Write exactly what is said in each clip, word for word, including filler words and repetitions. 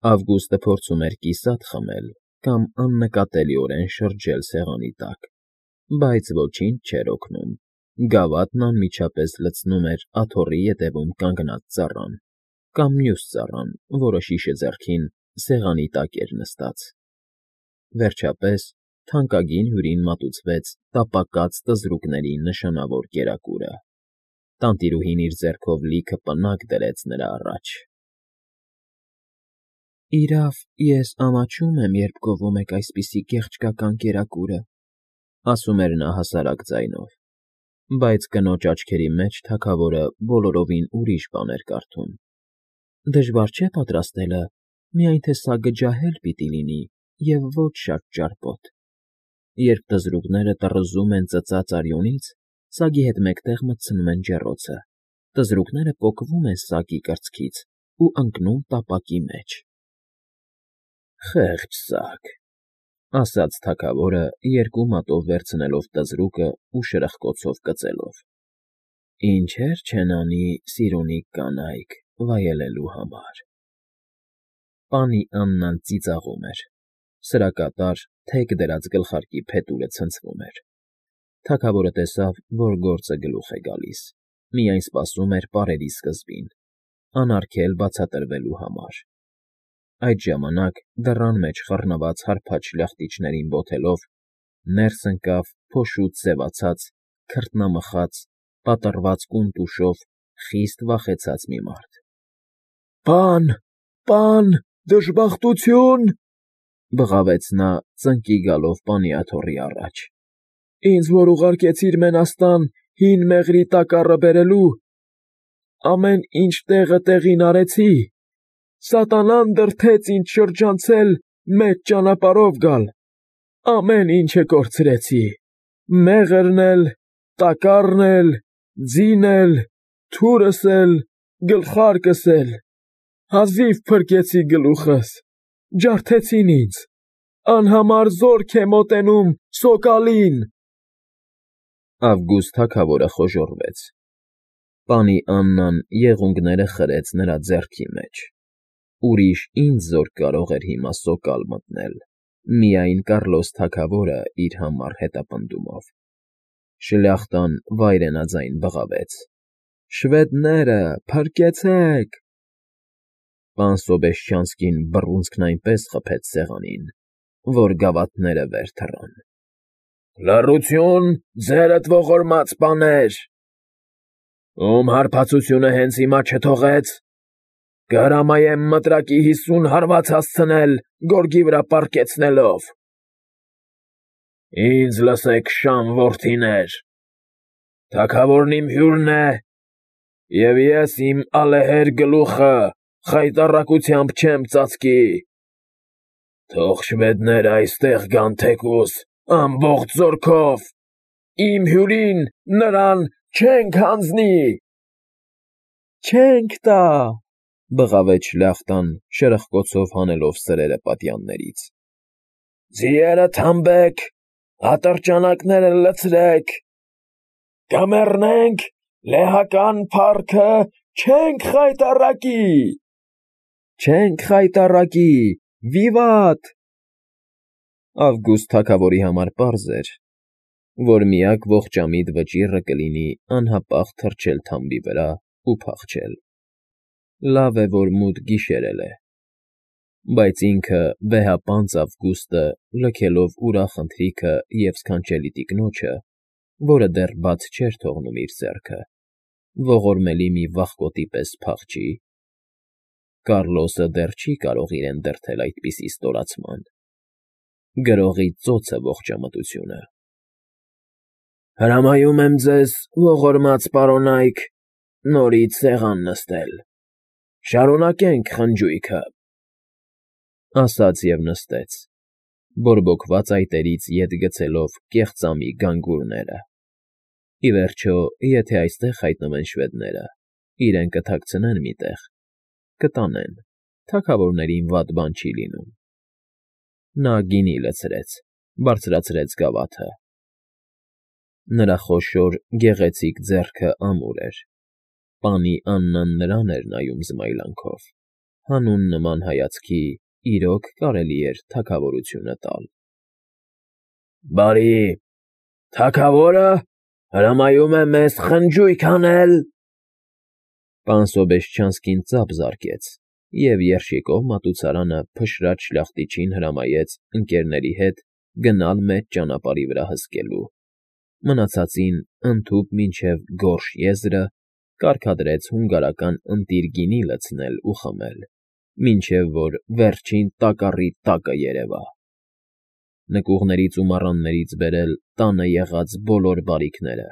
Ավգուստը փորձում էր կիսատ խմել կամ աննկատելիորեն շրջել սեղանի տակ, բայց ոչինչ չէր օգնում. գավաթն անմիջապես լցնում էր աթոռի ետևում կանգնած ծառան կամ մյուս ծառան, որը շիշը ձեռքին սեղանի տակ էր նստած։ Վերջապես թանկագին հյուրին մատուցվեց տապակած տզրուկների նշանավոր կերակուրը։ Տանտիրուհին իր ձեռքով լիքը պնակ դրեց նրա առաջ։ ֊ Իրավ, ես ամաչում եմ, երբ գովում եք այսպիսի գեղեցկական կերակուրը,֊ ասում էր նա հասարակ ձայնով, բայց կնոջ աչքերի մեջ թագավորը բոլորովին ուրիշ բան էր կարդում։ Դժվար չէ՞ պատրաստելը, միայն թե սագը ջահել պիտի լինի և ոչ շատ ճարպոտ։ Երբ թզուկները տռզում են ծծած արյունից, սագի հետ մեկտեղ մտցնում են ջեռոցը, թզուկները պոկվում են սագի կրծքից ու ընկնում տապակի մեջ։ ֊ Խեղճ սագ,֊ ասաց թագավորը, երկու մատով վերցնելով տզրուկն ու շրխկոցով կծելով,֊ ինչեր չեն անի սիրունիկ կանայք վայելելու համար… Պանի Աննան ծիծաղում էր, սրակատար թեք դրած գլխարկի փետուրը ցնցվում էր։ Թագավորը տեսավ, որ գործը գլուխ է գալիս, միայն սպասում էր պարերի սկզբին, անարգել բացատրվելու համար։ Այդ ժամանակ, դռան մեջ խռնված հարբած շլախտիչներին բոթելով, ներս ընկավ փոշուց ձևացած, քրտնամխած, պատռված կունտուշով խիստ վախեցած մի մարդ։ ֊ Պա՜ն, պա՜ն, դժբախտությո՜ւն,֊ բղավեց նա, ծնկի գալով պանի աթոռի առաջ,֊ ինձ որ ուղարկեցիր մենաստան հին մեղրի տակառը բերելու, ամեն ինչ տեղը տեղին արեցի, սատանան դրդեց ինձ շրջանցել մեծ ճանապարհով գալ, ամեն ինչը կորցրեցի, մեղրն էլ, տակառն էլ, ձին էլ, թուրս էլ, գլխարկս էլ, հազիվ փրկեցի գլուխս, ջարդեցին ինձ, անհամար զորք է մոտենում սոկալին… Ավգուստ թագավորը խոժոռվեց։ Պանի Աննան եղունգները խրեց նրա ձեռքի մեջ։ Ուրիշ ինչ զորք կարող էր հիմա սոկալ մտնել, միայն Կառլոս թագավորը իր համառ հետապնդումով։ Շլյախտան վայրենաձայն բղավեց. «Շվեդները, փրկեցե՜ք»։ Պան Սոբեշչանսկին բռունցքն այնպես խփեց սեղանին, որ գավաթները վեր թռան։ ֊ Լռություն, ձերդ ողորմած պաներ… Ում հարբածությունը հենց հիմա չթողեց, կհրամայեմ մտրակի հիսուն հարված հասցնել գորգի վրա պառկեցնելով… Ինձ լսեք, շան որդիներ, թագավորն իմ հյուրն է, և ես իմ ալեհեր գլուխը խայտառակությամբ չեմ ծածկի… Թող շվեդները այստեղ գան թեկուզ ամբողջ զորքով, իմ հյուրին նրան չենք հանձնի… ֊ Չենք տա,֊ բղավեց շլյախտան, շրխկոցով հանելով սրերը պատյաններից։ ֊ Ձիերը թամբեք, ատրճանակները լցրեք, կմեռնենք, լեհական փառքը չենք խայտառակի… ֊ Չենք խայտառակի, վիվատ… Ավգուստ թագավորի համար պարզ էր, որ միակ ողջամիտ վճիռը կլինի անհապաղ թռչել թամբի վրա ու փախչել։ Լավ է, որ մութ գիշերել է։ Բայց ինքը վեհապանծ Ավգուստը, լքելով ուրախ ընթրիքը և սքանչելի տիկնոջը, որը դեռ բաց չէր թողնում իր ձեռքը, ողորմելի մի վախկոտի պես փախչի… Կառլոսը դեռ չի կարող իրեն դրդել այդպիսի ստորացման… Գրողի ծոցը ողջամտությունը… ֊ Հրամայում եմ ձեզ, ողորմած պարոնայք, նորից սեղան նստել, շարունակենք խնջույքը,֊ ասաց և նստեց, բորբոքված այտերից ետ գցելով կեղծամի գանգուրները։ Ի վերջո, եթե այստեղ հայտնվեն շվեդները, իրեն կթաքցնեն մի տեղ, կտանեն, թագավորներին վատ բան չի լինում… Նա գինի լցրեց, բարձրացրեց գավաթը։ Նրա խոշոր, գեղեցիկ ձեռքը ամուր էր, պանի Աննան նրան էր նայում զմայլանքով, հանուն նման հայացքի իրոք կարելի էր թագավորությունը տալ։ ֊ Բարի, թագավո՞րը հրամայում է մեզ խնջույք անել,֊ պան Սոբեշչյանսկին ծափ զարկեց և երշիկով մատուցարանը փշրած շլախտիչին հրամայեց ընկերների հետ գնալ մեծ ճանապարհի վրա հսկելու, մնացածին ընդհուպ մինչև Գորշ եզրը կարգադրեց հունգարական ընտիր գինի լցնել ու խմել, մինչև որ վերջին տակառի տակը երևա, նկուղներից ու մառաններից բերել տանը եղած բոլոր բարիքները,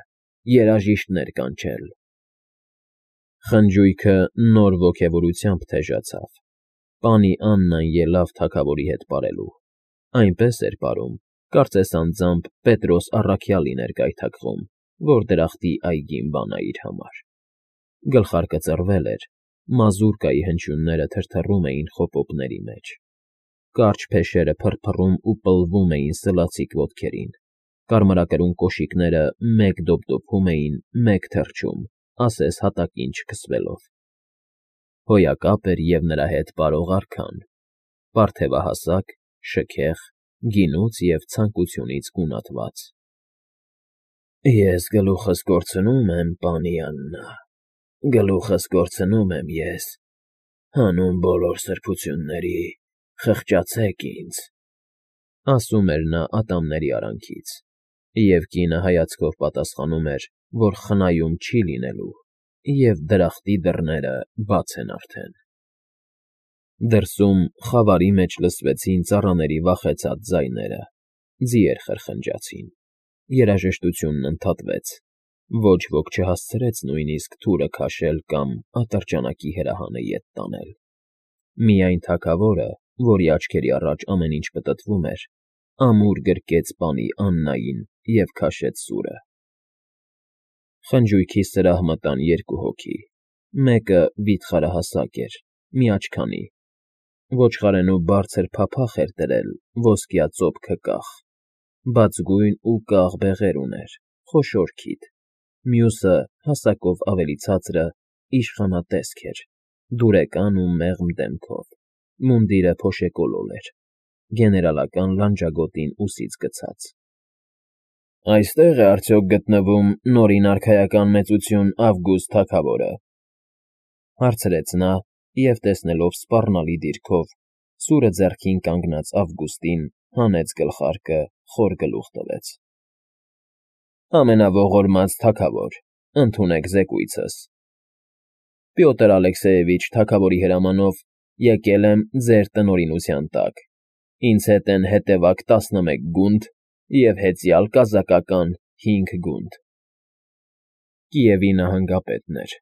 երաժիշտներ կանչել։ Խնջույքը նոր ոգևորությամբ թեժացավ, պանի Աննան ելավ թագավորի հետ պարելու, այնպես էր պարում, կարծես անձամբ Պետրոս առաքյալին էր գայթակղում, որ դրախտի այգին բանա իր համար։ Գլխարկը ծռվել էր, մազուրկայի հնչյունները թրթռում էին խոպոպների մեջ, կարճ փեշերը փռփռում ու պլվում էին սլացիկ ոտքերին, կարմրակրուն կոշիկները մեկ դոպդոփում էին, մեկ թռչում, ասես հատակին չքսվելով։ Հոյակապ էր և նրա հետ պարող արքան, պարթևահասակ, շքեղ, գինուց և ցանկությունից գունատված։ ֊ Ես գլուխս կորցնում եմ, պանի Աննա, գլուխս կորցնում եմ ես, հանուն բոլոր սրբությունների, խղճացեք ինձ,֊ ասում էր նա ատամների արանքից, և կինը հայացքով պատասխանում էր, որ խնայում չի լինելու, և դրախտի դռները բաց են արդեն։ Դրսում խավարի մեջ լսվեցին ծառաների վախեցած ձայները, ձիեր խրխնջացին, երաժշտությունն ընդհատվեց, ոչ ոք չհասցրեց նույնիսկ թուրը քաշել կամ ատրճանակի հրահանը ետ տանել։ Միայն թագավորը, որի աչքերի առաջ ամեն ինչ պտտվում էր, ամուր գրկեց պանի Աննային և քաշեց սուրը։ Խնջույքի սրահ մտան երկու հոգի, մեկը վիթխարահասակ էր, միաչքանի, ոչխարենու բարձր փափախ էր դրել ոսկյա ծոփքը կախ, բացգույն ու կաղ բեղեր ուներ, խոշոր քիթ, մյուսը՝ հասակով ավելի ցածրը, իշխանատեսք էր, դուրեկան ու մեղմ դեմքով, մունդիրը փոշեկոլոր էր, գեներալական լանջագոտին ուսից գցած։ ֊ Այստե՞ղ է արդյոք գտնվում Նորին արքայական մեծություն Ավգուստ թագավորը,֊ հարցրեց նա և, տեսնելով սպառնալի դիրքով, սուրը ձեռքին կանգնած Ավգուստին, հանեց գլխարկը, խոր գլուխ տվեց։ ֊ Ամենաողորմած թագավոր, ընդունեք զեկույցս. Պյոտր Ալեքսեևիչ թագավորի հրամանով եկել եմ ձեր տնօրինության տակ, ինձ հետ են հետևակ տասնմեկ գունդ և հեծյալ կազակական հինգ գունդ։ Կիևի նահանգապետն էր,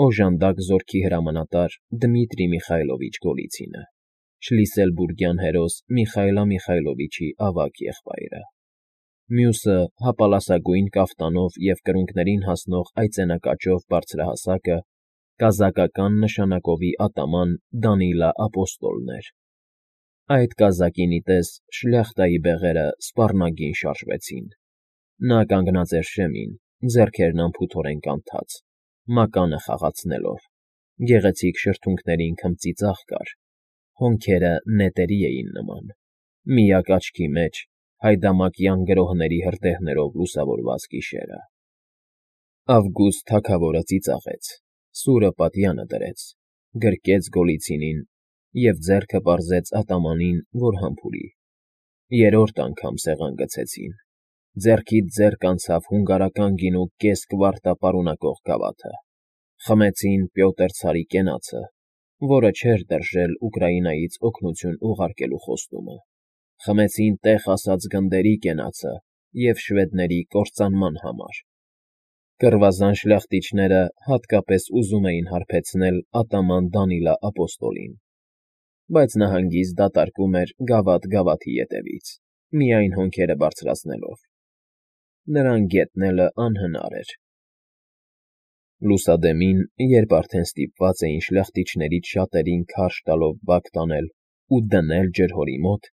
օժանդակ զորքի հրամանատար Դմիտրի Միխայլովիչ Գոլիցինը, շլիսելբուրգյան հերոս Միխայլա Միխայլովիչի ավագ եղբայրը։ Մյուսը հապալասագույն կաֆտանով և կրունկներին հասնող այծենակաճով բարձրահասակը կազակական նշանակովի ատաման Դանիլա Ապոստոլն էր։ Այդ կազակին ի տես շլյախտայի բեղերը սպառնագին շարժվեցին։ Նա կանգնած էր շեմին, ձեռքերն անփութորեն կանթած, մականը խաղացնելով, գեղեցիկ շրթունքներին քմծի ծաղ կար, հոնքերը նետերի էին նման, միակ աչքի մեջ հայդամակյան գրոհների հրդեհներով լուսավորված գիշերը։ Ավգուստ թագավորը ծիծաղեց, սուրը պատյանը դրեց, գրկեց Գոլիցինին և ձեռքը պարզեց ատամանին, որ համբուրի։ Երրորդ անգամ սեղան գցեցին, ձեռքից ձեռք անցավ հունգարական գինու կես կվարտա պարունակող գավաթը, խմեցին Պյոտր ցարի կենացը, որը չէր դրժել Ուկրաինայից օգնություն ուղարկելու խոստումը, խմեցին տեղ ասած գնդերի կենացը և շվեդների կործանման համար։ Կռվազան շլախտիչները հատկապես ուզում էին հարբեցնել ատաման Դանիլա Ապոստոլին, բայց նա հանգիստ դատարկում էր գավաթ գավաթի ետևից, միայն հոնքերը բարձրացնելով։ Նրան գետնելը անհնար էր։ Լուսադեմին, երբ արդեն ստիպված էին շլախտիչներից շատերին քարշ տալով բակ տանել ու դնել ջրհորի մոտ,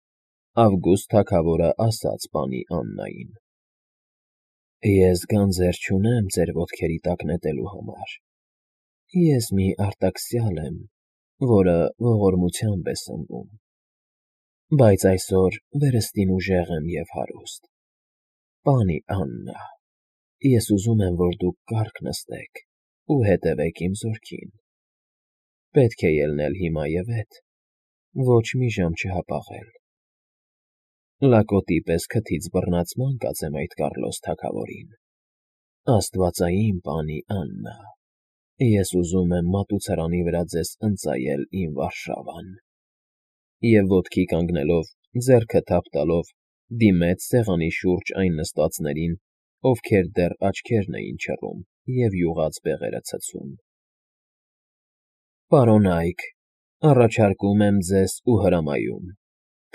Ավգուստ թագավորը ասաց պանի Աննային. «Ես գանձեր չունեմ ձեր ոտքերի տակ նետելու համար, ես մի արտաքսյալ եմ, որը ողորմությամբ է սնվում։ Բայց այսօր վերստին ուժեղ եմ և հարուստ։ Պանի Աննա, ես ուզում եմ, որ դուք կառք նստեք ու հետևեք իմ զորքին։ Պետք է ելնել հիմա և ետ, ոչ մի ժամ չհապաղել։ Լակոտի պես քթից բռնած ման կածեմ այդ Կառլոս թագավորին։ Աստվածային պանի Աննա, ես ուզում եմ մատուցարանի վրա ձեզ ընծայել իմ Վարշավան։ Եվ ոտքի կանգնելով, ձեռքը թափ տալով, դիմեց սեղանի շուրջ այն նստածներին, ովքեր դեռ աչքերն էին չռում և յուղած բեղերը ցցում։ Պարոնա՛յք, առաջարկում եմ ձեզ ու հրամայում,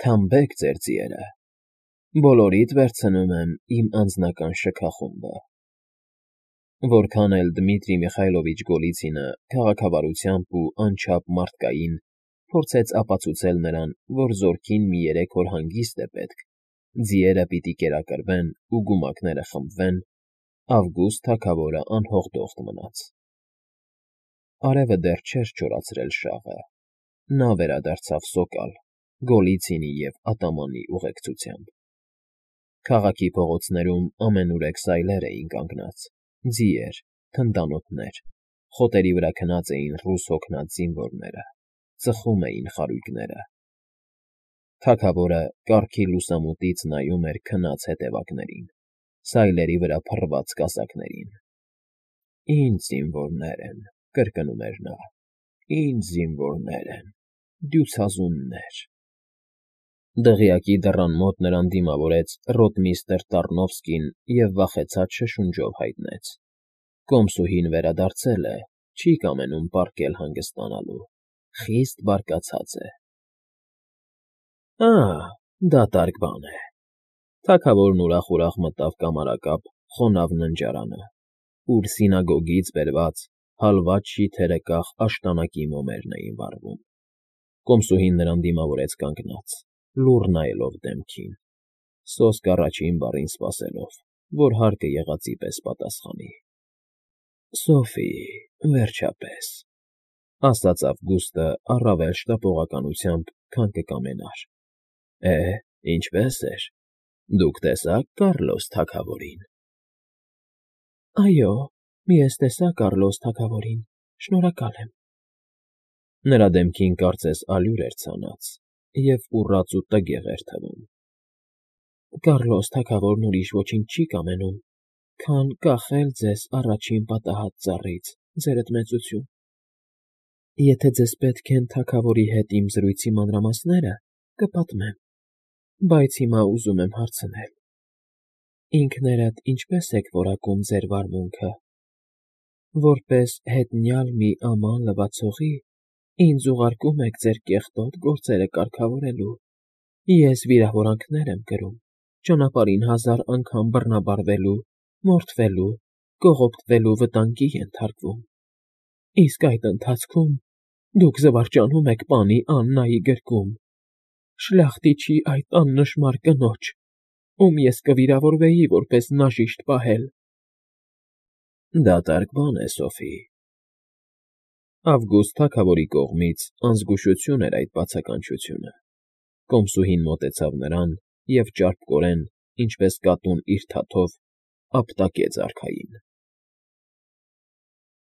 թամբեք ձեր ձիերը, բոլորիդ վերցնում եմ իմ անձնական շքախումբը։ Որքան էլ Դմիտրի Միխայլովիչ Գոլիցինը քաղաքավարությամբ ու անչափ մարդկային փորձեց ապացուցել նրան, որ զորքին մի երեք օր հանգիստ է պետք, ձիերը պիտի կերակրվեն ու գումակները խմբվեն, Ավգուստ թագավորը անհողդողդ մնաց։ Արևը դեռ չէր չորացրել շաղը, նա վերադարձավ սոկալ, Գոլիցինի և ատամանի ուղեկցությամբ։ Քաղաքի փողոցներում ամենուրեք սայլեր էին կանգնած, ձիեր, թնդանոթներ, խոտերի վրա քնած էին ռուս հոգնած զինվորները, ծխում էին խարույկները։ Թագավորը կառքի լուսամուտից նայում էր քնած հետևակներին, սայլերի վրա փռված կասակներին։ Ինձ զինվորներ են, կրկնում էր նա, ինձ զինվորներ են, դյուցազուններ։ Դղյակի դռան մոտ նրան դիմավորեց ռոտմիստր Տառնովսկին և վախեցած շշունջով հայտնեց. Կոմսուհին վերադարձել է, չի կամենում պառկել հանգստանալու, խիստ բարկացած է։ Ա՜, դատարկ բան է։ Թագավորն ուրախ֊ուրախ մտավ կամարակապ խոնավ ննջարանը, ուր սինագոգից բերված հալված շիթերը կախ աշտանակի մոմերն էին վառվում։ Կոմսուհին նրան դիմավորեց կանգնած, լուռ նայելով դեմքին, սոսկ առաջին բառին սպասելով, որ հարկը եղածի պես պատասխանի։ Սոֆի, վերջապես, ասաց Ավգուստը առավել շտապողականությամբ, քան կկամենար։ Է, ինչպե՞ս էր, դուք տեսա՞ք Կառլոս թագավորին։ Այո, ես տեսա Կառլոս թագավորին, շնորհակալ եմ։ Նրա դեմքին կարծես ալյուր էր ցանած և ուռած ու տգեղ էր թվում։ Կառլոս թագավորն ուրիշ ոչինչ չի կամենում, քան կախել ձեզ առաջին պատահած ծառից, ձերդ մեծություն։ Եթե ձեզ պետք են թագավորի հետ իմ զրույցի մանրամասները, կպատմեմ, բայց հիմա ուզում եմ հարցնել. ինքներդ ինչպե՞ս եք որակում ձեր վարմունքը։ Որպես հետնյալ մի աման լվացողի, ինձ ուղարկում եք ձեր կեղտոտ գործերը կարգավորելու, ես վիրավորանքներ եմ կրում, ճանապարհին հազար անգամ բռնաբարվելու, մորթվելու, կողոպտվելու վտանգի ենթարկվում, իսկ այդ ընթացքում դուք զվարճանում եք պանի Աննայի գրկում, շլախտիչի այդ աննշմար կնոջ, ում ես կվիրավորվեի որպես նաժիշտ պահել։ Դատարկ բան է, Սոֆի։ Ավգուստ թագավորի կողմից անզգուշություն էր այդ բացականչությունը։ Կոմսուհին մոտեցավ նրան և ճարպկորեն, ինչպես կատուն իր թաթով, ապտակեց արքային։